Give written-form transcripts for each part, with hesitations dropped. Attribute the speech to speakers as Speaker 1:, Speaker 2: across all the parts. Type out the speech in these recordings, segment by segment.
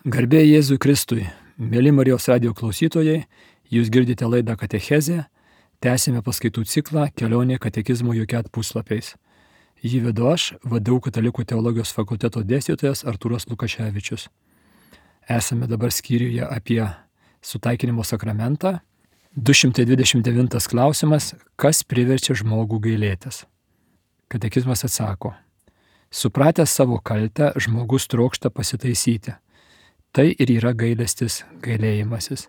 Speaker 1: Garbė Jėzui Kristui, mėly Marijos radijo klausytojai, jūs girdite laidą Katechezė, tęsime paskaitų ciklą Kelionė katekizmo jokiat puslapiais. Jį vedu aš, VDU Katalikų teologijos fakulteto dėstytojas Artūras Lukaševičius. Esame dabar skyriuje apie sutaikinimo sakramentą. 229 klausimas, kas priverčia žmogų gailėtis? Katekizmas atsako, supratęs savo kaltę, žmogus trokšta pasitaisyti. Tai ir yra gailestis, gailėjimasis.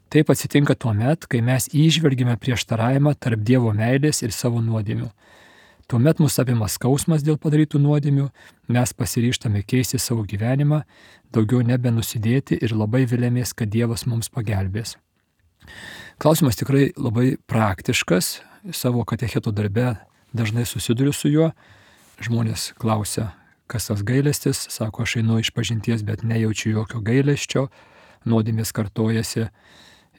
Speaker 1: Taip atsitinka tuomet, kai mes įžvelgime prieštaravimą tarp Dievo meilės ir savo nuodėmių. Tuomet mus apima skausmas dėl padarytų nuodėmių, mes pasiryžtame keisti savo gyvenimą, daugiau nebenusidėti ir labai vilėmės, kad Dievas mums pagelbės. Klausimas tikrai labai praktiškas, savo katecheto darbe dažnai susiduriu su juo. Žmonės klausia, kas tas gailestis, sako, aš einu išpažinties, bet nejaučiu jokio gailesčio, nuodėmės kartojasi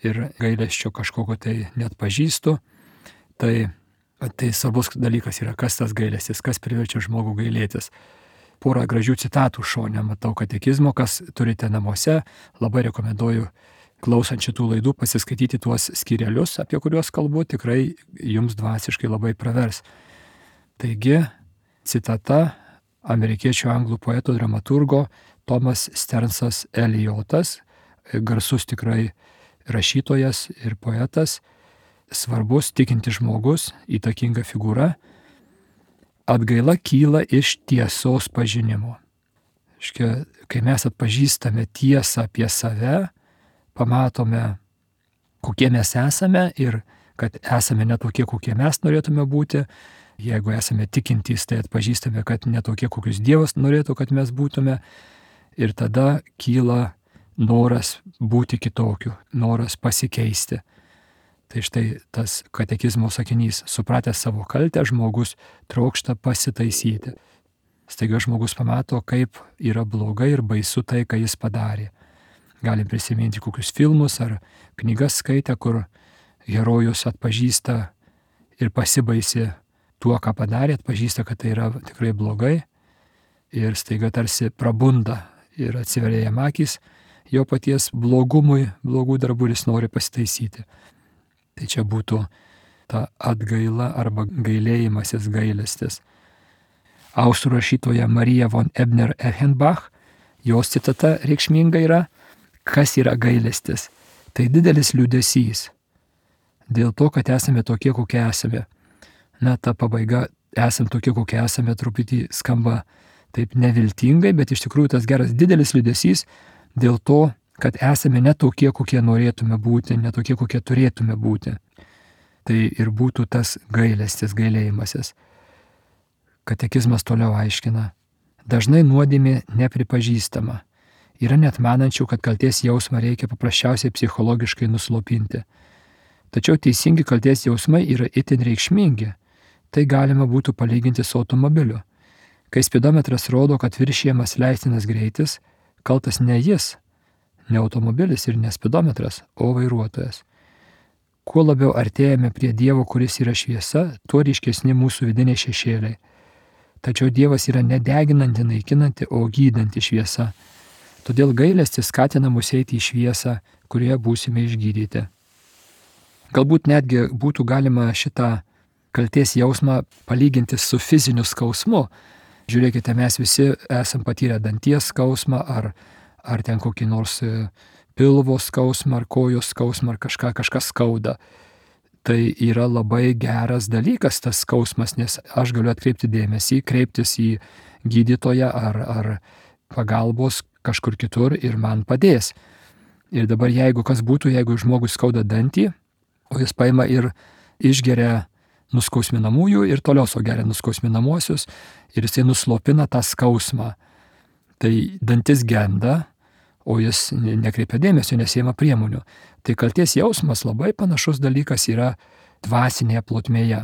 Speaker 1: ir gailesčio kažkokio tai net pažįstu. Tai svarbus dalykas yra, kas tas gailestis, kas priverčia žmogų gailėtis. Porą gražių citatų šone matau katekizmo, kas turite namuose, labai rekomenduoju klausant šitų laidų pasiskaityti tuos skyrelius, apie kuriuos kalbu, tikrai jums dvasiškai labai pravers. Taigi, citata amerikiečių anglų poeto dramaturgo Thomas Stearnsas Elijotas, garsus tikrai rašytojas ir poetas, svarbus tikintis žmogus, įtakinga figūra. Atgaila kyla iš tiesos pažinimo. Kai mes atpažįstame tiesą apie save, pamatome, kokie mes esame ir kad esame ne tokie, kokie mes norėtume būti. Jeigu esame tikintys, tai atpažįstame, kad netokie, kokius Dievas norėtų, kad mes būtume. Ir tada kyla noras būti kitokiu, noras pasikeisti. Tai štai tas katekizmo sakinys, supratęs savo kaltę, žmogus trokšta pasitaisyti. Staiga žmogus pamato, kaip yra blogai ir baisu tai, ką jis padarė. Galim prisiminti kokius filmus ar knygas skaitę, kur herojus atpažįsta ir pasibaisi tuo, ką padarė, atpažįsta, kad tai yra tikrai blogai ir staiga tarsi prabunda ir atsiveria jam akys jo paties blogumui, blogų darbų ir jis nori pasitaisyti. Tai čia būtų ta atgaila arba gailėjimasis, gailestis. Austrų rašytoja Marija von Ebner-Eichenbach, jos citata reikšminga yra, kas yra gailestis. Tai didelis liūdesys dėl to, kad esame tokie, kokie esame. Na, ta pabaiga, esam tokie, kokie esame, truputį skamba taip neviltingai, bet iš tikrųjų tas geras didelis liūdesys dėl to, kad esame ne tokie, kokie norėtume būti, ne tokie, kokie turėtume būti. Tai ir būtų tas gailestis, gailėjimasis. Katekizmas toliau aiškina. Dažnai nuodėmė nepripažįstama. Yra net manančių, kad kaltės jausmą reikia paprasčiausiai psichologiškai nuslopinti. Tačiau teisingi kaltės jausmai yra itin reikšmingi. Tai galima būtų palyginti su automobiliu. Kai spidometras rodo, kad viršijamas leistinas greitis, kaltas ne jis, ne automobilis ir ne spidometras, o vairuotojas. Kuo labiau artėjame prie Dievo, kuris yra šviesa, tuo ryškesni mūsų vidiniai šešėliai. Tačiau Dievas yra nedeginanti, naikinanti, o gydanti šviesa. Todėl gailestis skatina mus eiti į šviesą, kurioje būsime išgydyti. Galbūt netgi būtų galima šitą kaltės jausmą palyginti su fiziniu skausmu. Žiūrėkite, mes visi esam patyrę danties skausmą, ar ten kokį nors pilvo skausmą, ar kojos skausmą, ar kažką skauda. Tai yra labai geras dalykas tas skausmas, nes aš galiu atkreipti dėmesį, kreiptis į gydytoją ar pagalbos kažkur kitur ir man padės. Ir dabar jeigu žmogus skauda dantį, o jis paima ir išgeria nuskausminamųjų ir toliau geria nuskausminamuosius ir jisai nuslopina tą skausmą. Tai dantis genda, o jis nekreipia dėmesio, nesiima priemonių. Tai kaltės jausmas labai panašus dalykas yra dvasinėje plotmėje.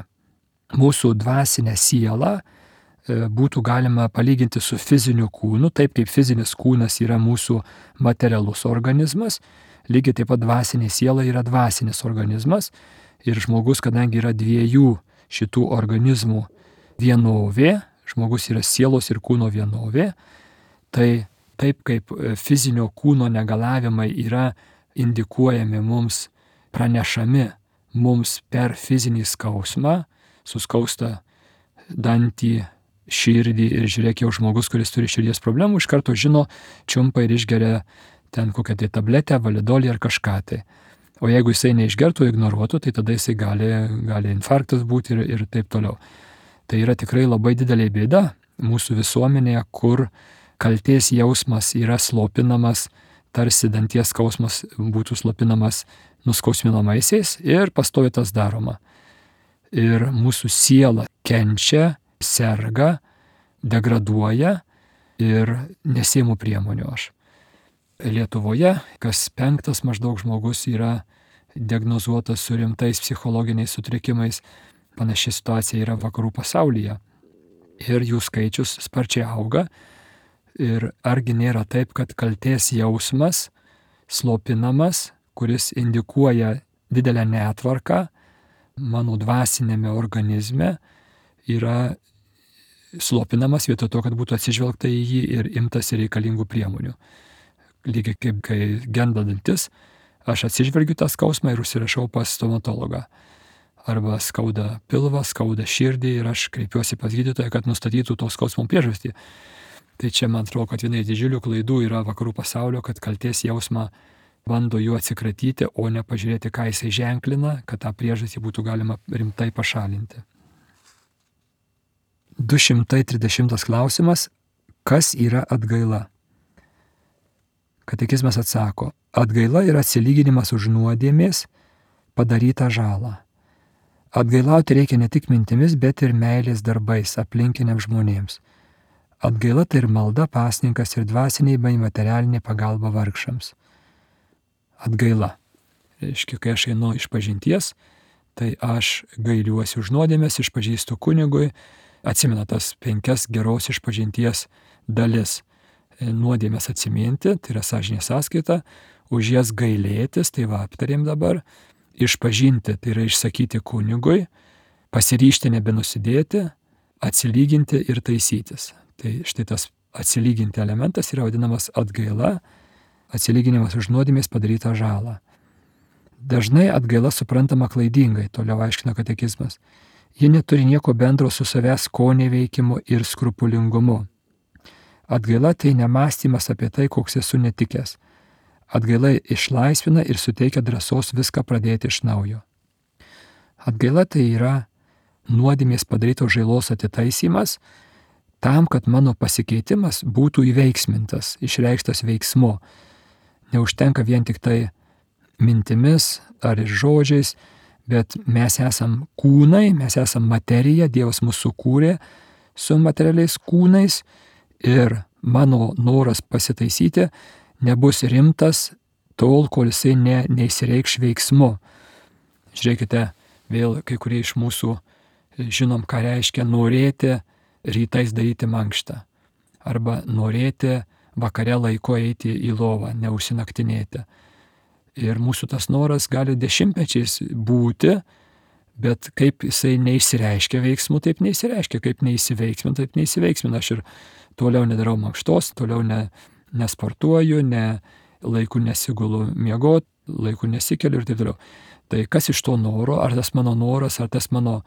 Speaker 1: Mūsų dvasinę sielą būtų galima palyginti su fiziniu kūnu, taip kaip fizinis kūnas yra mūsų materialus organizmas, lygiai taip pat dvasinė siela yra dvasinis organizmas. Ir žmogus, kadangi yra dviejų šitų organizmų vienovė, žmogus yra sielos ir kūno vienovė, tai taip kaip fizinio kūno negalavimai yra indikuojami mums, pranešami mums per fizinį skausmą, suskausta dantį, širdį ir žiūrėk, jau žmogus, kuris turi širdies problemų, iš karto žino, čiumpa ir išgeria ten kokią tai tabletę, validolį ar kažką tai. O jeigu jisai neišgertų, ignoruotų, tai tada jisai gali infarktas būti ir taip toliau. Tai yra tikrai labai didelė bėda mūsų visuomenėje, kur kaltės jausmas yra slopinamas, tarsi danties skausmas būtų slopinamas nuskausminamaisiais ir pastoviai tas daroma. Ir mūsų siela kenčia, serga, degraduoja ir nesiimu priemonių aš. Lietuvoje kas 5 maždaug žmogus yra diagnozuotas su rimtais psichologiniais sutrikimais. Panaši situacija yra vakarų pasaulyje. Ir jų skaičius sparčiai auga. Ir argi nėra taip, kad kaltės jausmas slopinamas, kuris indikuoja didelę netvarką mano dvasinėme organizme, yra slopinamas vietoj to, kad būtų atsižvelgta į jį ir imtasi reikalingų priemonių. Lygiai kaip kai genda dantis, aš atsižvelgiu tą skausmą ir užsirašau pas stomatologą. Arba skauda pilvą, skauda širdį ir aš kreipiuosi pas gydytoją, kad nustatytų to skausmo priežastį. Tai čia man atrodo, kad viena iš didžiulių klaidų yra vakarų pasaulio, kad kaltės jausmą bando juo atsikratyti, o ne pažiūrėti, ką jisai ženklina, kad tą priežastį būtų galima rimtai pašalinti. 230 klausimas. Kas yra atgaila? Katekizmas atsako, atgaila yra atsilyginimas už nuodėmės padarytą žalą. Atgailauti reikia ne tik mintimis, bet ir meilės darbais aplinkiniams žmonėms. Atgaila tai ir malda, pasninkas ir dvasiniai bei materialinė pagalba vargšams. Atgaila. Reiškia, kai aš einu iš pažinties, tai aš gailiuosi už nuodėmės, išpažįstu kunigui, atsimena tas 5 geros išpažinties dalis. Nuodėmės atsiminti, tai yra sąžinės sąskaita, už jas gailėtis, tai va aptarėm dabar, išpažinti, tai yra išsakyti kunigui, pasiryžti nebenusidėti, atsilyginti ir taisytis. Tai štai tas atsilyginti elementas yra vadinamas atgaila, atsilyginimas už nuodėmės padarytą žalą. Dažnai atgaila suprantama klaidingai, toliau aiškina katekizmas. Ji neturi nieko bendro su savęs skonio veikimu ir skrupulingumu. Atgaila tai nemąstymas apie tai, koks esu netikęs. Atgaila išlaisvina ir suteikia drąsos viską pradėti iš naujo. Atgaila tai yra nuodėmės padarytos žalos atitaisymas tam, kad mano pasikeitimas būtų įveiksmintas, išreikštas veiksmu. Neužtenka vien tik tai mintimis ar ir žodžiais, bet mes esam kūnai, mes esam materija, Dievas mūsų sukūrė su materialiais kūnais ir mano noras pasitaisyti nebus rimtas tol, kol jisai neįsireikš veiksmu. Žiūrėkite, vėl kai kurie iš mūsų žinom, ką reiškia norėti rytais daryti mankštą arba norėti vakare laiko eiti į lovą, neužsinaktinėti. Ir mūsų tas noras gali dešimtmečiais būti, bet kaip jisai neįsireiškia veiksmų, taip neįsireiškia, kaip neįsiveiksmina, taip neįsiveiksmina. Aš ir toliau nedarau mankštos, toliau nesportuoju, laiku nesigulu miegot, laiku nesikeliu ir taip toliau. Tai kas iš to noro, ar tas mano noras, ar tas mano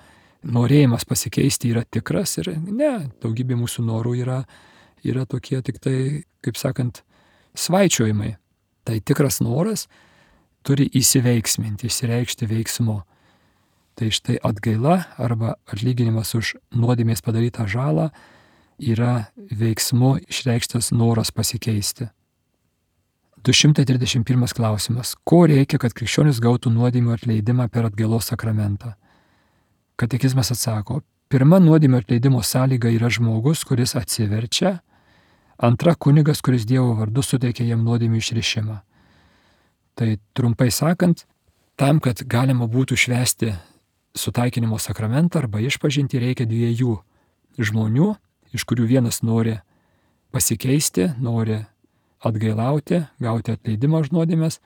Speaker 1: norėjimas pasikeisti yra tikras ir ne, daugybė mūsų norų yra tokie tik tai, kaip sakant, svaičiojimai. Tai tikras noras turi įsiveiksminti, išsireikšti veiksmu. Tai štai atgaila arba atlyginimas už nuodėmės padarytą žalą yra veiksmu išreikštas noras pasikeisti. 231 klausimas. Ko reikia, kad krikščionis gautų nuodėmių atleidimą per atgailos sakramentą? Katekizmas atsako, pirma nuodėmių atleidimo sąlyga yra žmogus, kuris atsiverčia, antra kunigas, kuris Dievo vardu suteikia jam nuodėmių išrišimą. Tai trumpai sakant, tam, kad galima būtų švęsti sutaikinimo sakramentą arba išpažinti, reikia 2 žmonių, iš kurių vienas nori pasikeisti, nori atgailauti, gauti atleidimą už nuodėmes,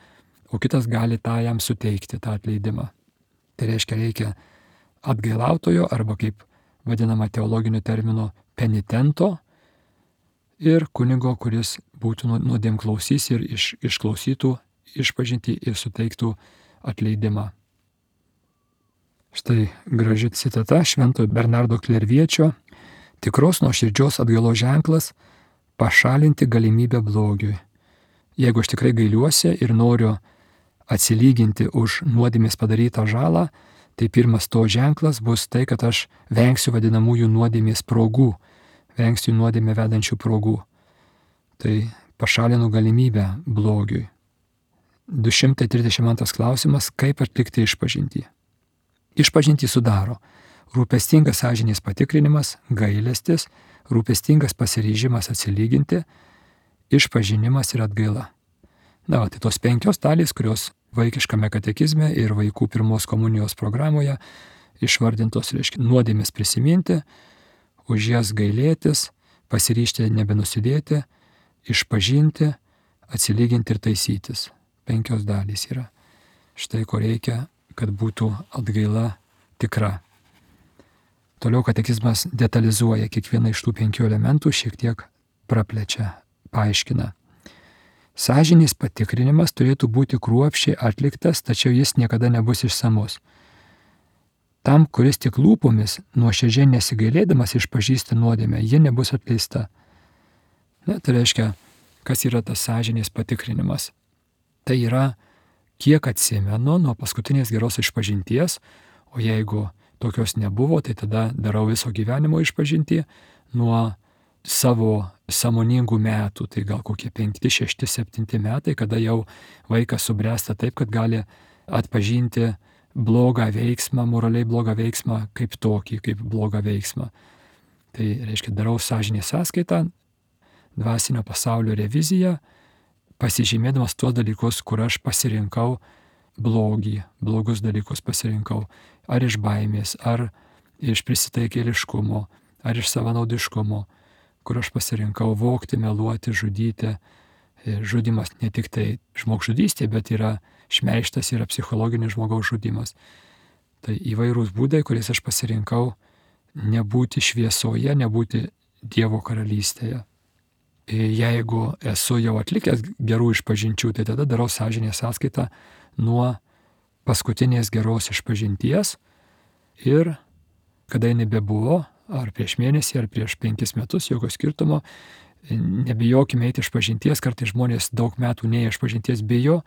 Speaker 1: o kitas gali tą jam suteikti, tą atleidimą. Tai reikia atgailautojo arba kaip vadinama teologiniu terminu penitento, ir kunigo, kuris būtų nuodėmklausys ir išklausytų išpažintį ir suteiktų atleidimą. Štai graži citata Šventojo Bernardo Klerviečio: tikros nuoširdžios atgailos ženklas - pašalinti galimybę blogiui. Jeigu aš tikrai gailiuosi ir noriu atsilyginti už nuodėmės padarytą žalą, tai pirmas to ženklas bus tai, kad aš vengsiu vadinamųjų nuodėmės progų, vengsiu nuodėmę vedančių progų. Tai pašalinu galimybę blogiui. 232 klausimas: kaip atlikti išpažintį? Išpažintį sudaro rūpestingas sąžinės patikrinimas, gailestis, rūpestingas pasiryžimas atsilyginti, išpažinimas ir atgaila. Tai tos 5 dalys, kurios vaikiškame katekizme ir vaikų pirmos komunijos programoje išvardintos, reiškia nuodėmės prisiminti, už jas gailėtis, pasiryžti nebenusidėti, išpažinti, atsilyginti ir taisytis. 5 dalys yra. Štai ko reikia, kad būtų atgaila tikra. Toliau katekizmas detalizuoja kiekvieną iš tų 5 elementų, šiek tiek praplečia, paaiškina. Sąžinės patikrinimas turėtų būti kruopščiai atliktas, tačiau jis niekada nebus išsamus. Tam, kuris tik lūpomis nuoširdžiai nesigailėdamas išpažįsta nuodėmę, ji nebus atleista. Tai reiškia, kas yra tas sąžinės patikrinimas? Tai yra, kiek atsimenu nuo paskutinės geros išpažinties, o jeigu tokios nebuvo, tai tada darau viso gyvenimo išpažintį nuo savo sąmoningų metų, tai gal kokie 5, 6, 7 metai, kada jau vaikas subręsta taip, kad gali atpažinti blogą veiksmą, moraliai blogą veiksmą kaip tokį, kaip blogą veiksmą. Tai reiškia, darau sąžinės sąskaitą, dvasinio pasaulio reviziją, pasižymėdamas tuos dalykus, kur aš pasirinkau blogį, blogus dalykus pasirinkau. Ar iš baimės, ar iš prisitaikėliškumo, ar iš savanaudiškumo, kur aš pasirinkau vogti, meluoti, žudyti. Žudimas ne tik tai žmogžudystė, bet yra šmeižtas, yra psichologinis žmogaus žudimas. Tai įvairūs būdai, kuriais aš pasirinkau nebūti šviesoje, nebūti Dievo karalystėje. Jeigu esu jau atlikęs gerų išpažinčių, tai tada darau sąžinės sąskaitą nuo paskutinės geros išpažinties ir kada jinai bebuvo, ar prieš mėnesį, ar prieš 5 metus, jokio skirtumo, nebijokime eiti išpažinties, kartais žmonės daug metų neįėjo išpažinties bijo,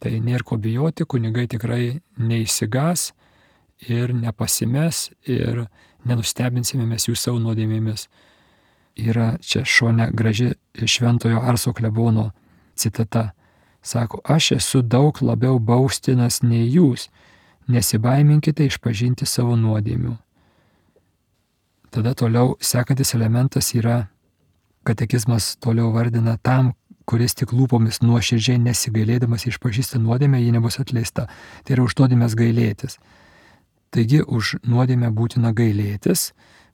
Speaker 1: tai nėra ko bijoti, kunigai tikrai neįsigas ir nepasimes ir nenustebinsime mes jų savo nuodėmėmis. Yra čia šone graži Šventojo Arso klebono citata. Sako, aš esu daug labiau baustinas nei jūs, nesibaiminkite išpažinti savo nuodėmių. Tada toliau sekantis elementas yra, katekizmas toliau vardina tam, kuris tik lūpomis nuoširdžiai nesigailėdamas išpažįsta nuodėmę, ji nebus atleista. Tai yra už nuodėmės gailėtis. Taigi už nuodėmę būtina gailėtis,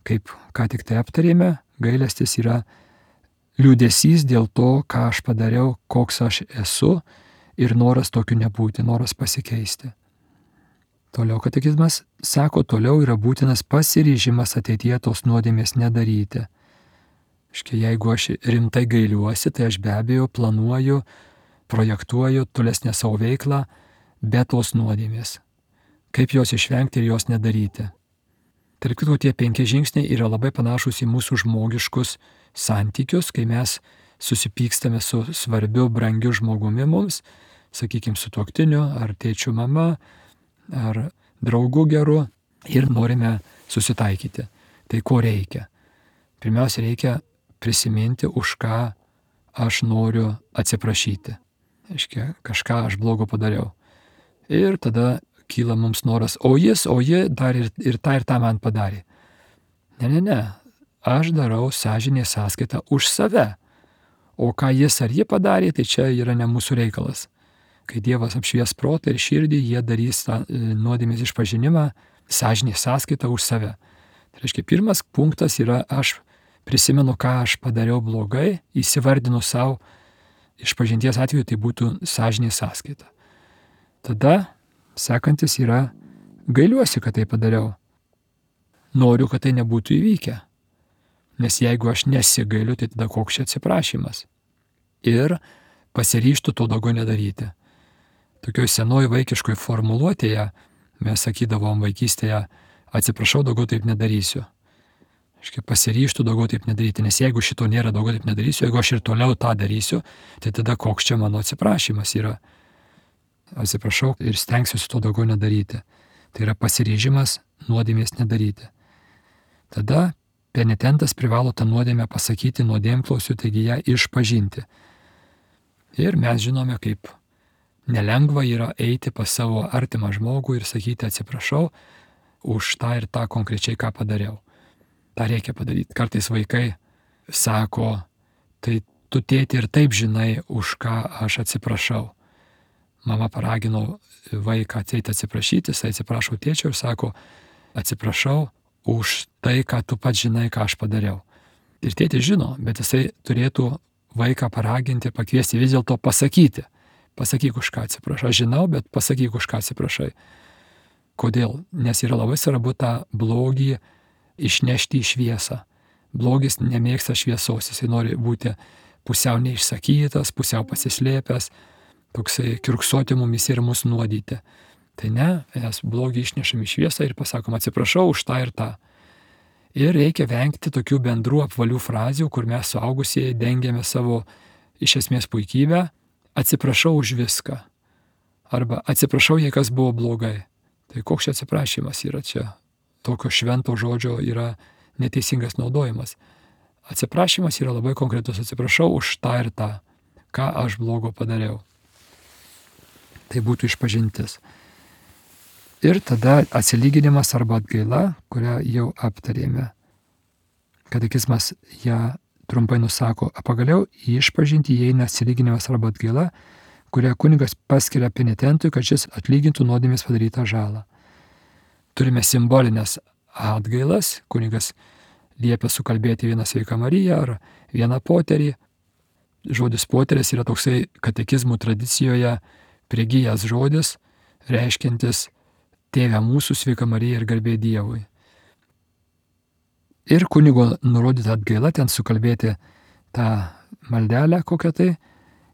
Speaker 1: kaip ką tik tai aptarėme, gailestis yra liūdesys dėl to, ką aš padariau, koks aš esu ir noras tokiu nebūti, noras pasikeisti. Toliau katekizmas sako, toliau yra būtinas pasiryžimas ateityje tos nuodėmės nedaryti. Jeigu aš rimtai gailiuosi, tai aš be abejo planuoju, projektuoju tolesnę savo veiklą be tos nuodėmės. Kaip jos išvengti ir jos nedaryti. Tarp kitų, tie 5 žingsniai yra labai panašus į mūsų žmogiškus santykius, kai mes susipykstame su svarbiu, brangiu žmogumi mums, sakykime, sutuoktiniu, ar tėčiu mama, ar draugu geru, ir norime susitaikyti. Tai ko reikia? Pirmiausia, reikia prisiminti, už ką aš noriu atsiprašyti. Kažką aš blogo padariau. Ir tada kyla mums noras, o ji dar ir tą man padarė. Ne. Aš darau sąžinės sąskaitą už save. O ką jis ar ji padarė, tai čia yra ne mūsų reikalas. Kai Dievas apšvies protą ir širdį, jie darys tą nuodėmės išpažinimą, sąžinės sąskaitą už save. Tai reiškia, pirmas punktas yra, aš prisimenu, ką aš padariau blogai, įsivardinu savo, išpažinties atveju tai būtų sąžinės sąskaita. Tada sekantis yra, gailiuosi, kad tai padariau. Noriu, kad tai nebūtų įvykę. Nes jeigu aš nesigailiu, tai tada koks čia atsiprašymas. Ir pasiryžtų to daugiau nedaryti. Tokioj senoj vaikiškoj formuluotėje mes sakydavom vaikystėje, atsiprašau, daugiau taip nedarysiu. Pasiryžtų daugiau taip nedaryti, nes jeigu šito nėra, daugiau taip nedarysiu, jeigu aš ir toliau tą darysiu, tai tada koks čia mano atsiprašymas yra. Atsiprašau ir stengsiuosi to daugiau nedaryti. Tai yra pasiryžimas nuodėmės nedaryti. Tada penitentas privalo tą nuodėmę pasakyti nuodėmklausiu, taigi ją išpažinti. Ir mes žinome, kaip nelengva yra eiti pas savo artimą žmogų ir sakyti atsiprašau už tą ir tą konkrečiai, ką padariau. tą reikia padaryti. Kartais vaikai sako, tai tu tėti ir taip žinai, už ką aš atsiprašau. Mama paragino vaiką ateiti atsiprašyti, jis atsiprašo tėčio ir sako, atsiprašau už tai, ką tu pats žinai, ką aš padariau. Ir tėtis žino, bet jisai turėtų vaiką paraginti, pakviesti vis dėlto pasakyti. Pasakyk, už ką atsiprašai. Aš žinau, bet pasakyk, už ką atsiprašai. Kodėl? Nes yra labai svarbu tą blogį išnešti į šviesą. Blogis nemėgsta šviesos, jisai nori būti pusiau neišsakytas, pusiau pasislėpęs, toksai kiurksoti mumis ir mus nuodyti. Tai ne, mes blogį išnešam į šviesą ir pasakom atsiprašau už tą ir tą. Ir reikia vengti tokių bendrų apvalių frazių, kur mes suaugusieji dengiame savo iš esmės puikybę, atsiprašau už viską. Arba atsiprašau, jei kas buvo blogai. Tai koks čia atsiprašymas yra čia? Tokio švento žodžio yra neteisingas naudojimas. Atsiprašymas yra labai konkretus. Atsiprašau už tą ir tą, ką aš blogo padariau. Tai būtų išpažintis. Ir tada atsilyginimas arba atgaila, kurią jau aptarėme. Katekizmas ją trumpai nusako, pagaliau į išpažintį įeina atsilyginimas arba atgaila, kurią kunigas paskiria penitentui, kad šis atlygintų nuodėmės padarytą žalą. Turime simbolinės atgailas, kunigas liepia sukalbėti vieną sveiką Mariją ar vieną poterį. Žodis poteris yra toksai katekizmų tradicijoje prigijęs žodis, reiškiantis Tėve mūsų, sveika Marija ir garbė Dievui. Ir kunigo nurodyta atgaila, ten sukalbėti tą maldelę kokią tai,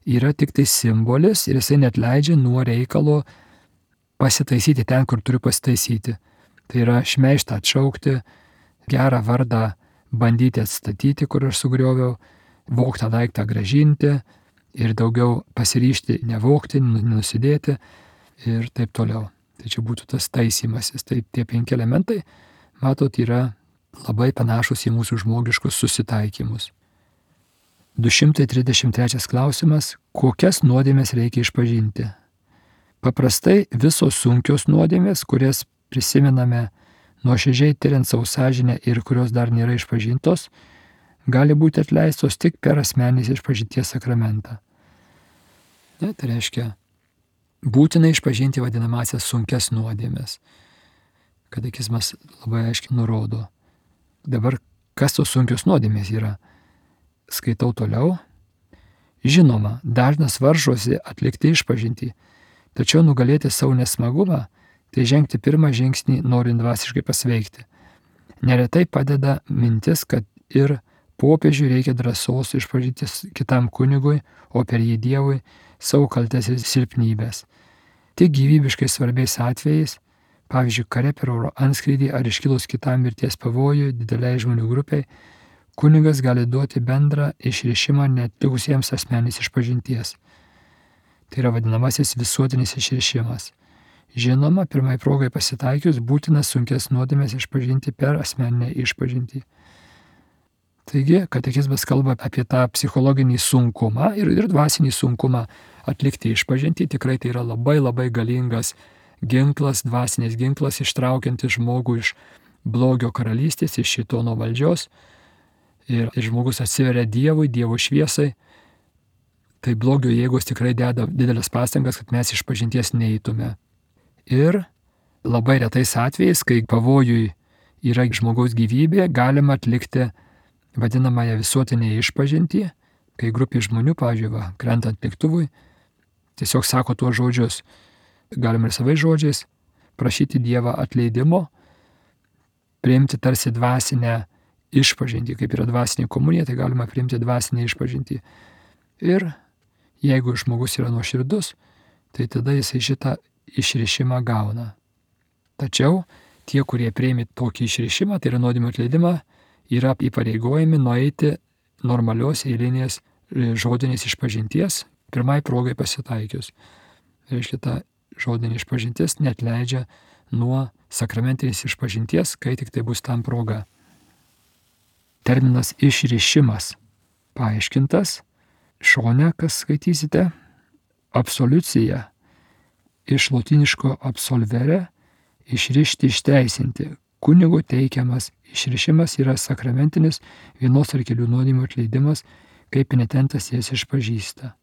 Speaker 1: yra tik tai simbolis ir jisai net leidžia nuo reikalo pasitaisyti ten, kur turiu pasitaisyti. Tai yra šmeižtą atšaukti, gerą vardą bandyti atstatyti, kur aš sugrioviau, vogtą daiktą grąžinti ir daugiau pasiryžti nevogti, nenusidėti ir taip toliau. Tai čia būtų tas taisymasis. Tai tie 5 elementai, matot, yra labai panašus į mūsų žmogiškus susitaikymus. 233 klausimas. Kokias nuodėmės reikia išpažinti? Paprastai visos sunkios nuodėmės, kurias prisimename nuoširdžiai tiriant savo sąžinę ir kurios dar nėra išpažintos, gali būti atleistos tik per asmeninės išpažinties sakramentą. Ne, tai reiškia, būtina išpažinti vadinamasias sunkias nuodėmės. Katekizmas labai aiškiai nurodo. Dabar, kas tos sunkios nuodėmės yra? Skaitau toliau. Žinoma, dažnas varžosi atlikti išpažintį, tačiau nugalėti savo nesmagumą, tai žengti pirmą žingsnį norint dvasiškai pasveikti. Neretai padeda mintis, kad ir popiežiui reikia drąsos išpažinti kitam kunigui, o per jį Dievui, savo kaltes ir silpnybės. Tik gyvybiškai svarbiais atvejais, pavyzdžiui, kare per oro antskrydį ar iškilus kitam mirties pavojui dideliai žmonių grupiai, kunigas gali duoti bendrą išrišimą neatlikusiems asmenės išpažinties. Tai yra vadinamasis visuotinis išrišimas. Žinoma, pirmai progai pasitaikius būtina sunkes nuodėmės išpažinti per asmeninę išpažintį. Taigi, katekizmas kalba apie tą psichologinį sunkumą ir dvasinį sunkumą atlikti išpažintį. Tikrai tai yra labai labai galingas ginklas, dvasinis ginklas, ištraukiantis žmogų iš blogio karalystės, iš šėtono valdžios. Ir žmogus atsiveria Dievui, Dievo šviesai. Tai blogio jėgos tikrai deda didelės pastangas, kad mes išpažinties neįtume. Ir labai retais atvejais, kai pavojui yra žmogaus gyvybė, galima atlikti vadinamąją visuotinę išpažintį, kai grupė žmonių, pavyzdžiui, krentant lėktuvui, tiesiog sako tuos žodžius, galima ir savais žodžiais, prašyti Dievą atleidimo, priimti tarsi dvasinę išpažintį, kaip yra dvasinė komunija, tai galima priimti dvasinę išpažintį. Ir jeigu žmogus yra nuoširdus, tai tada jisai šitą išrišimą gauna. Tačiau tie, kurie priėmė tokį išrišimą, tai yra nuodėmių atleidimą, yra įpareigojami nueiti normalios eilinės žodinės išpažinties, pirmai progai pasitaikius. Reiškia, ta žodinė išpažintis neatleidžia nuo sakramentinės išpažinties, kai tik tai bus tam proga. Terminas išrišimas paaiškintas šone, kas skaitysite, absoliucija iš lotyniško absolvere, išrišti, išteisinti. Kunigo teikiamas išrišimas yra sakramentinis vienos ar kelių nuodėmių atleidimas, kai penitentas jas išpažįsta.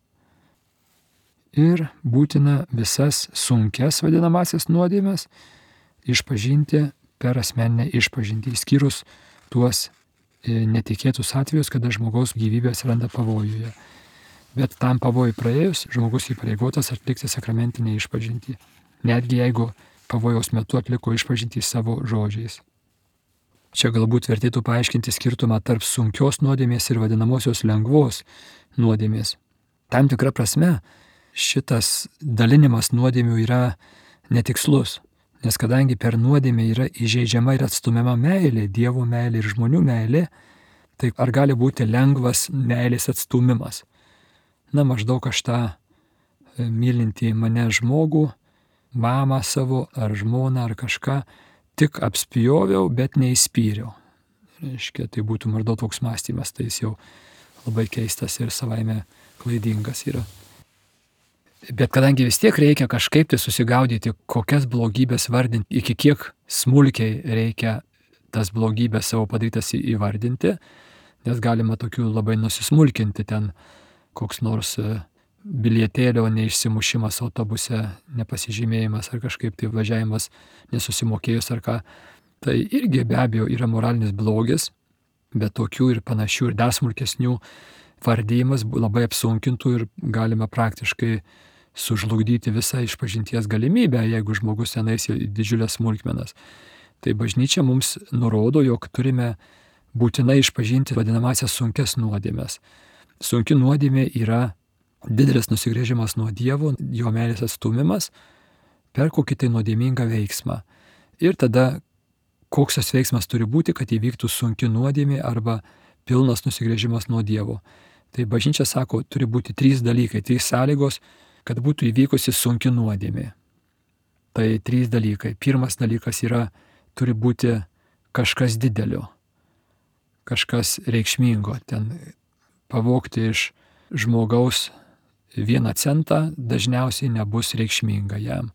Speaker 1: Ir būtina visas sunkes vadinamasias nuodėmes išpažinti per asmeninę išpažintį, išskyrus tuos netikėtus atvejus, kada žmogaus gyvybė atsiranda pavojuje. Bet tam pavojui praėjus, žmogus įpareigotas atlikti sakramentinę išpažintį, netgi jeigu pavojaus metu atliko išpažintį savo žodžiais. Čia galbūt vertėtų paaiškinti skirtumą tarp sunkios nuodėmės ir vadinamosios lengvos nuodėmės. Tam tikra prasme šitas dalinimas nuodėmių yra netikslus, nes kadangi per nuodėmę yra įžeidžiama ir atstumiama meilė, Dievo meilė ir žmonių meilė, tai ar gali būti lengvas meilės atstumimas? Na, maždaug aš tą mylintį mane žmogų, mamą savo ar žmoną ar kažką, tik apspjoviau, bet neįspyriau. Reiškia, tai būtų maždaug toks mąstymas, tai jis jau labai keistas ir savaime klaidingas yra. Bet kadangi vis tiek reikia kažkaip tai susigaudyti, kokias blogybės vardinti, iki kiek smulkiai reikia tas blogybės savo padarytas įvardinti, nes galima tokių labai nusismulkinti ten koks nors bilietėlio neišsimušimas autobuse, nepasižymėjimas ar kažkaip tai važiavimas nesusimokėjus ar ką. Tai irgi be abejo yra moralinis blogis, bet tokių ir panašių ir dar smulkesnių vardyjimas labai apsunkintų ir galima praktiškai sužlugdyti visą išpažinties galimybę, jeigu žmogus tenais į didžiulės smulkmenas. Tai bažnyčia mums nurodo, jog turime būtinai išpažinti vadinamasias sunkes nuodėmes. Sunki nuodėmė yra didelis nusigręžimas nuo Dievo, jo meilės atstumimas per kokį tai nuodėmingą veiksmą. Ir tada koks tas veiksmas turi būti, kad įvyktų sunki nuodėmė arba pilnas nusigręžimas nuo Dievo. Tai bažnyčia sako, turi būti 3 dalykai, 3 sąlygos, kad būtų įvykusi sunki nuodėmė. Tai 3 dalykai. Pirmas dalykas yra, turi būti kažkas didelio, kažkas reikšmingo. Ten pavogti iš žmogaus 1 centą dažniausiai nebus reikšminga jam.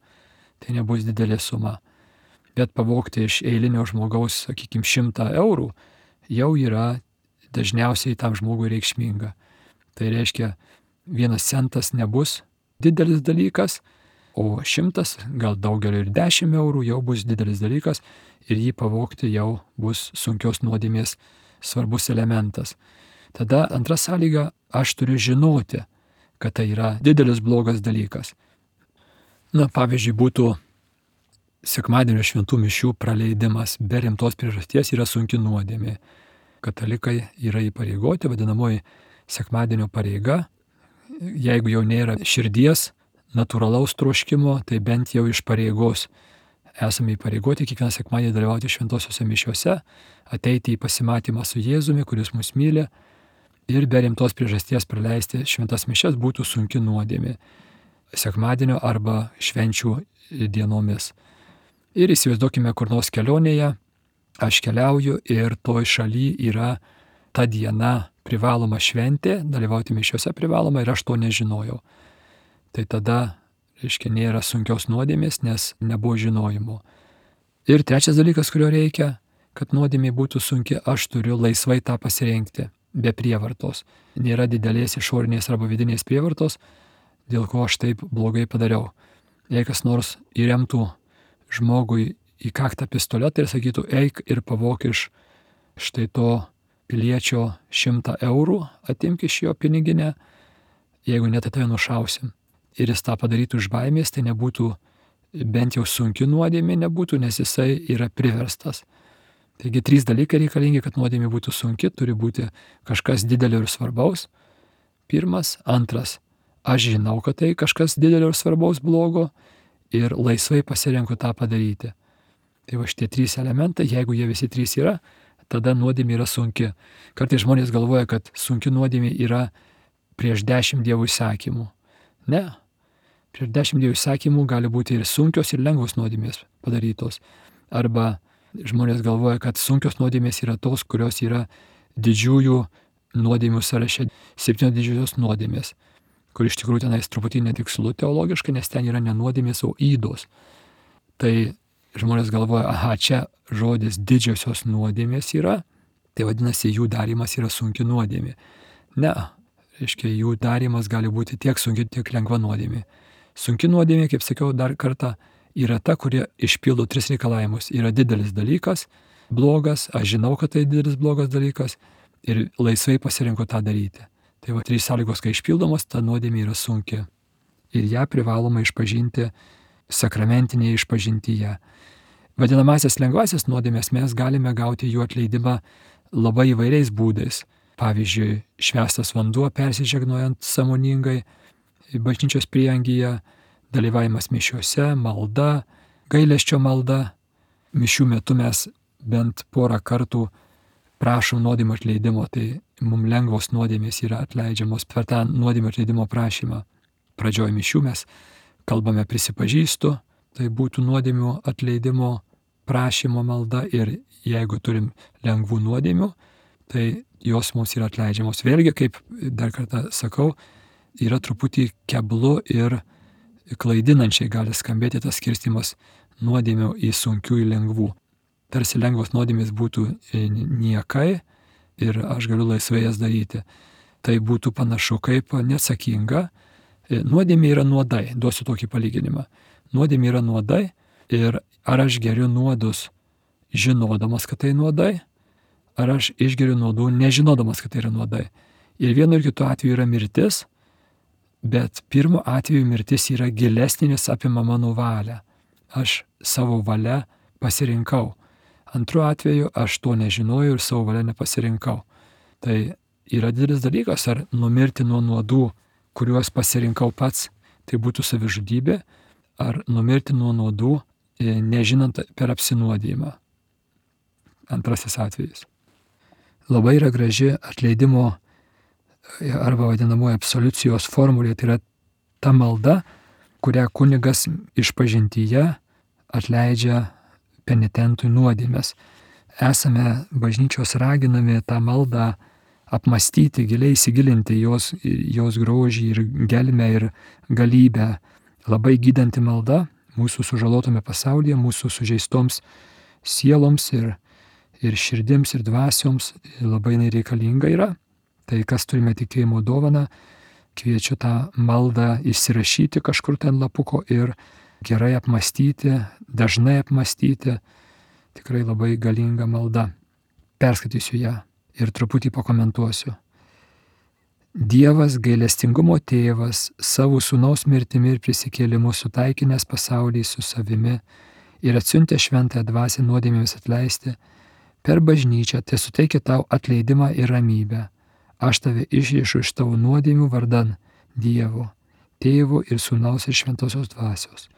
Speaker 1: Tai nebus didelė suma. Bet pavogti iš eilinio žmogaus, sakykime, 100 eurų jau yra dažniausiai tam žmogui reikšminga. Tai reiškia, 1 centas nebus didelis dalykas, o 100, gal daugelio ir 10 eurų jau bus didelis dalykas ir jį pavogti jau bus sunkios nuodėmės svarbus elementas. Tada antra sąlyga, aš turiu žinoti, kad tai yra didelis blogas dalykas. Na, pavyzdžiui, būtų sekmadienio šventų mišių praleidimas be rimtos priežasties yra sunki nuodėmė. Katalikai yra įpareigoti, vadinamoji sekmadienio pareiga. Jeigu jau nėra širdies, natūralaus troškimo, tai bent jau iš pareigos esame įpareigoti kiekvieną sekmadienį dalyvauti šventosiuose mišiuose, ateiti į pasimatymą su Jėzumi, kuris mus myli, ir be rimtos priežasties praleisti šventas mišias būtų sunki nuodėmė sekmadienio arba švenčių dienomis. Ir įsivaizduokime, kur nors kelionėje, aš keliauju ir toj šaly yra ta diena privaloma šventė, dalyvauti mišiuose privaloma ir aš to nežinojau. Tai tada, reiškia, nėra sunkios nuodėmės, nes nebuvo žinojimo. Ir trečias dalykas, kurio reikia, kad nuodėmė būtų sunki, aš turiu laisvai tą pasirinkti, be prievartos. Nėra didelės išorinės arba vidinės prievartos, dėl ko aš taip blogai padariau. Jei kas nors įremtų žmogui į kaktą pistoletą ir sakytų, eik ir pavok iš štai to piliečio 100 eurų, atimk iš jo piniginę, jeigu net tai nušausim. Ir jis tą padarytų iš baimės, tai nebūtų, bent jau sunki nuodėmė nebūtų, nes jisai yra priverstas. Taigi 3 dalykai reikalingi, kad nuodėmė būtų sunki, turi būti kažkas didelio ir svarbaus. Pirmas, antras, aš žinau, kad tai kažkas didelio ir svarbaus blogo ir laisvai pasirenku tą padaryti. Tai va šitie 3 elementai, jeigu jie visi 3 yra, tada nuodėmė yra sunki. Kartais žmonės galvoja, kad sunki nuodėmė yra prieš 10 Dievo įsakymų. Ne. Prieš 10 Dievo įsakymų gali būti ir sunkios, ir lengvos nuodėmės padarytos. Arba žmonės galvoja, kad sunkios nuodėmės yra tos, kurios yra didžiųjų nuodėmių sąraše, 7 didžiosios nuodėmės, kur iš tikrųjų tenais truputį netikslu teologiškai, nes ten yra ne nuodėmės, o ydos. Tai žmonės galvoja, aha, čia žodis didžiosios nuodėmės yra, tai vadinasi, jų darymas yra sunki nuodėmė. Ne, reiškia, jų darymas gali būti tiek sunki, tiek lengva nuodėmė. Sunki nuodėmė, kaip sakiau dar kartą, yra ta, kurie išpildo 3 reikalavimus. Yra didelis dalykas, blogas, aš žinau, kad tai didelis blogas dalykas ir laisvai pasirinku tą daryti. Tai va 3 sąlygos, kai išpildomos, ta nuodėmė yra sunki. Ir ją privaloma išpažinti sakramentinėje išpažintyje. Vadinamasias lengvasis nuodėmės mes galime gauti jų atleidimą labai įvairiais būdais. Pavyzdžiui, švęstas vanduo persižegnojant sąmoningai bažnyčios prieangyje, dalyvavimas mišiuose, malda, gailesčio malda. Mišių metu mes bent porą kartų prašom nuodėmės atleidimo, tai mums lengvos nuodėmės yra atleidžiamos per tą nuodėmės atleidimo prašymą. Pradžioj mišių mes kalbame prisipažįstu, tai būtų nuodėmių atleidimo prašymo malda ir jeigu turim lengvų nuodėmių, tai jos mums yra atleidžiamos. Vėlgi, kaip dar kartą sakau, yra truputį keblu ir klaidinančiai gali skambėti tas skirstimas nuodėmių į sunkių į lengvų. Tarsi lengvos nuodėmės būtų niekai ir aš galiu laisvai jas daryti. Tai būtų panašu kaip neatsakinga. Nuodėmė yra nuodai, duosiu tokį palyginimą. Nuodėmė yra nuodai ir ar aš geriu nuodus žinodamas, kad tai nuodai, ar aš išgeriu nuodų nežinodamas, kad tai yra nuodai. Ir vienu ir kitu atveju yra mirtis, bet pirmu atveju mirtis yra gilesnė, nes apima mano valią. Aš savo valia pasirinkau. Antru atveju aš to nežinojau ir savo valia nepasirinkau. Tai yra didelis dalykas, ar numirti nuo nuodų, kuriuos pasirinkau pats, tai būtų savižudybė, ar numirti nuo nuodų, nežinant per apsinuodijimą. Antrasis atvejis. Labai yra graži atleidimo arba vadinamoji absoliucijos formulė, tai yra ta malda, kurią kunigas išpažintyje atleidžia penitentui nuodėmes. Esame bažnyčios raginami tą maldą apmastyti, giliai įsigilinti jos grožį ir gelmę ir galybę. Labai gydanti malda mūsų sužalotame pasaulyje, mūsų sužeistoms sieloms ir širdims ir dvasioms labai reikalinga yra. Tai kas turime tikėjimo dovaną, kviečiu tą maldą įsirašyti kažkur ten lapuko ir gerai apmastyti, dažnai apmastyti. Tikrai labai galinga malda. Perskaitysiu ją ir truputį pakomentuosiu. Dievas, gailestingumo tėvas, savo sūnaus mirtimi ir prisikėlimu sutaikinęs pasaulį su savimi ir atsiuntė šventąją dvasią nuodėmėms atleisti, per bažnyčią tai suteikia tau atleidimą ir ramybę. Aš tave išriešu iš tavo nuodėmių vardan Dievo, Tėvo ir Sūnaus ir Šventosios dvasios.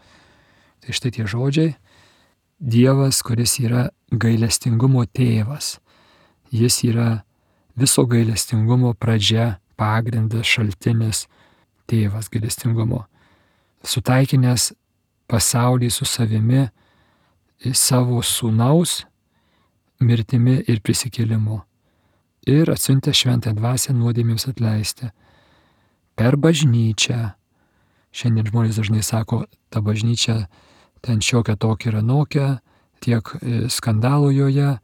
Speaker 1: Tai štai tie žodžiai. Dievas, kuris yra gailestingumo tėvas. Jis yra viso gailestingumo pradžia, pagrindas, šaltinis, tėvas gailestingumo. Sutaikinęs pasaulį su savimi savo Sūnaus mirtimi ir prisikėlimu. Ir atsiuntė šventąją dvasią nuodėmėms atleisti. Per bažnyčią. Šiandien žmonės dažnai sako, ta bažnyčia ten šiokia tokia ir anokia, tiek skandalų joje.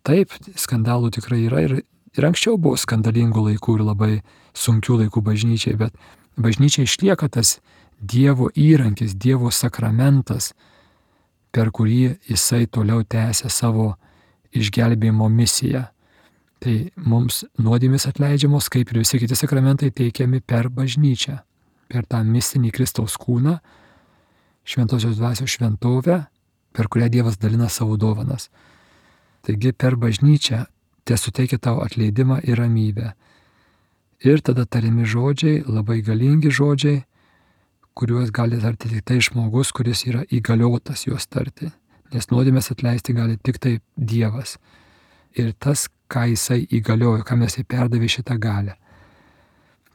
Speaker 1: Taip, skandalų tikrai yra ir anksčiau buvo skandalingų laikų ir labai sunkių laikų bažnyčiai, bet bažnyčia išlieka tas Dievo įrankis, Dievo sakramentas, per kurį jisai toliau tęsia savo išgelbėjimo misiją. Tai mums nuodėmės atleidžiamos, kaip ir visi kiti sakramentai, teikiami per bažnyčią, per tą mistinį Kristaus kūną, Šventosios dvasios šventovę, per kurią Dievas dalina savo dovanas. Taigi per bažnyčią te suteikia tau atleidimą ir ramybę. Ir tada tariami žodžiai, labai galingi žodžiai, kuriuos gali tarti tik tai žmogus, kuris yra įgaliotas juos tarti. Nes nuodėmės atleisti gali tik tai Dievas. Ir tas, ką jisai įgaliojo, kam jisai perdavė šitą galią.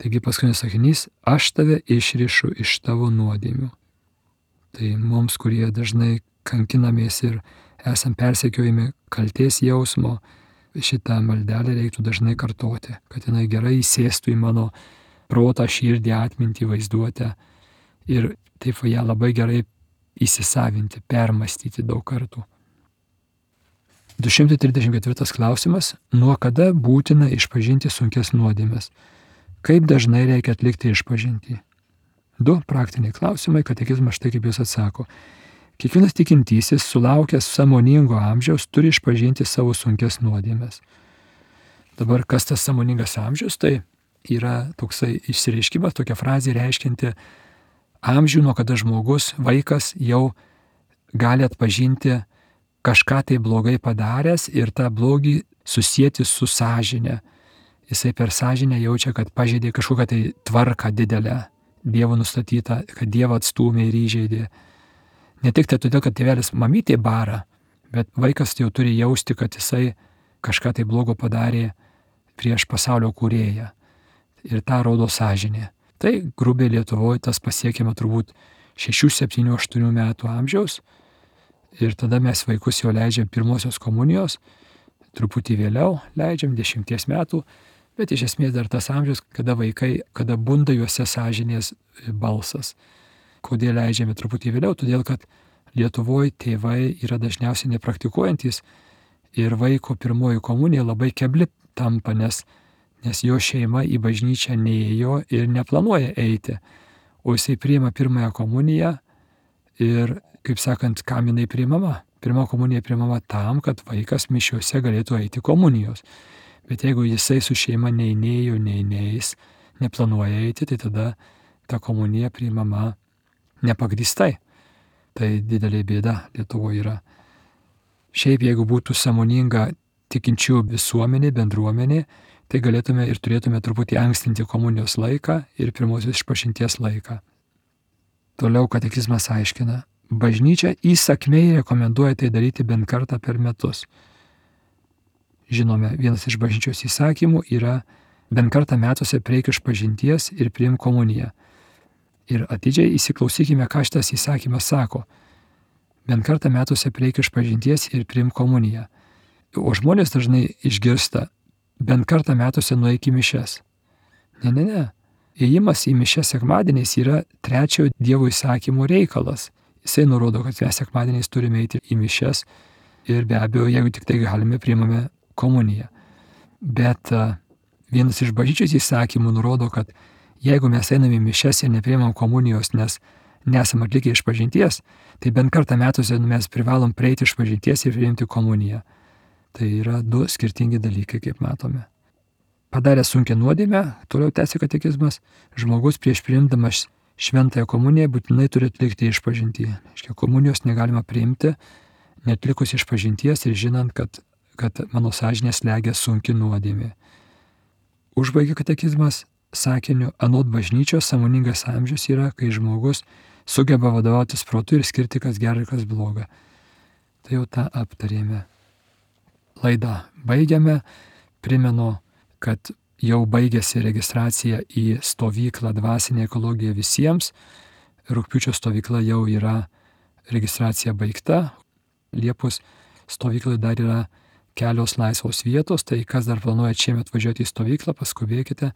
Speaker 1: Taigi paskutinis sakinys, aš tave išrišu iš tavo nuodėmių. Tai mums, kurie dažnai kankinamės ir esam persekiojami kaltės jausmo, šitą maldelę reiktų dažnai kartoti, kad jinai gerai įsėstų į mano protą, širdį, atmintį, vaizduotę ir taip ją labai gerai įsisavinti, permastyti daug kartų. 234 klausimas. Nuo kada būtina išpažinti sunkias nuodėmes? Kaip dažnai reikia atlikti išpažintį? 2 praktiniai klausimai, katekizmas štai kaip jis atsako. Kiekvienas tikintysis, sulaukęs sąmoningo amžiaus, turi išpažinti savo sunkias nuodėmes. Dabar kas tas sąmoningas amžius? Tai yra toksai išsireiškimas, tokia frazė reiškinti amžių, nuo kada žmogus, vaikas jau gali atpažinti kažką tai blogai padaręs ir tą blogį susijęti su sąžine. Jisai per sąžinę jaučia, kad pažeidė kažkokią tai tvarką didelę, Dievo nustatytą, kad Dievą atstūmė ir įžeidė. Ne tik tai todėl, kad tėvelis mamytė bara, bet vaikas jau turi jausti, kad jisai kažką tai blogo padarė prieš pasaulio kūrėją. Ir tą rodo sąžinė. Tai grubiai Lietuvoje tas pasiekiama turbūt 6, 7, 8 metų amžiaus. Ir tada mes vaikus jau leidžiam pirmosios komunijos, truputį vėliau leidžiam 10 metų, bet iš esmės dar tas amžius, kada vaikai, kada bunda juose sąžinės balsas. Kodėl leidžiame truputį vėliau? Todėl, kad Lietuvoje tėvai yra dažniausiai nepraktikuojantis ir vaiko pirmoji komunija labai kebli tampa, nes jo šeima į bažnyčią neėjo ir neplanuoja eiti. O jisai priima pirmąją komuniją ir, kaip sakant, kam jinai priimama? Pirma komunija priimama tam, kad vaikas mišiuose galėtų eiti komunijos. Bet jeigu jisai su šeima neįnėjo, neįneis, neplanuoja eiti, tai tada ta komunija priimama nepagrįstai. Tai didelė bėda Lietuvoje yra. Šiaip jeigu būtų sąmoninga tikinčių visuomenė, bendruomenė, tai galėtume ir turėtume truputį ankstinti komunijos laiką ir pirmosios išpažinties laiką. Toliau katekizmas aiškina, bažnyčia įsakmiai rekomenduoja tai daryti bent kartą per metus. Žinome, vienas iš bažnyčios įsakymų yra bent kartą metuose prieik išpažinties ir priimk komuniją. Ir atidžiai įsiklausykime, ką šitas įsakymas sako. Bent kartą metuose prieik išpažinties ir priimk komuniją. O žmonės dažnai išgirsta, bent kartą metuose nueik į mišias. Ne. Ėjimas į mišias sekmadieniais yra trečiojo Dievo įsakymo reikalas. Jisai nurodo, kad mes sekmadieniais turime eiti į mišias ir be abejo, jeigu tik tai galime, priimame komuniją. Bet vienas iš bažnyčios įsakymų nurodo, kad jeigu mes einame į mišias ir nepriimam komunijos, nes nesam atlikę išpažinties, tai bent kartą metuose mes privalom prieiti išpažinties ir priimti komuniją. Tai yra 2 skirtingi dalykai, kaip matome. Padaręs sunkią nuodėmę, toliau tęsia katekizmas, žmogus prieš priimdamas šventąją komuniją būtinai turi atlikti išpažintį. Reiškia, komunijos negalima priimti, netlikus išpažinties ir žinant, kad mano sąžinė slegia sunki nuodėmė. Užbaigia katekizmas sakiniu, anot bažnyčios sąmoningas amžius yra, kai žmogus sugeba vadovautis protu ir skirti, kas gera ir kas bloga. Tai jau tą aptarėme. Laidą baigiame. Primenu, kad jau baigėsi registracija į stovyklą Dvasinė ekologija visiems. Rugpjūčio stovykla jau yra registracija baigta. Liepos stovyklai dar yra kelios laisvos vietos, tai kas dar planuoja šiemet važiuoti į stovyklą, paskubėkite,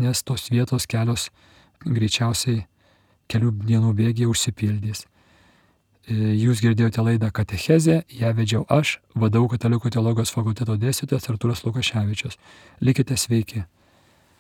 Speaker 1: nes tos vietos kelios greičiausiai kelių dienų bėgyje užsipildys. Jūs girdėjote laidą Katechezė, ją vedžiau aš, VDU Katalikų teologijos fakulteto dėstytojas Artūras Lukaševičius. Likite sveiki.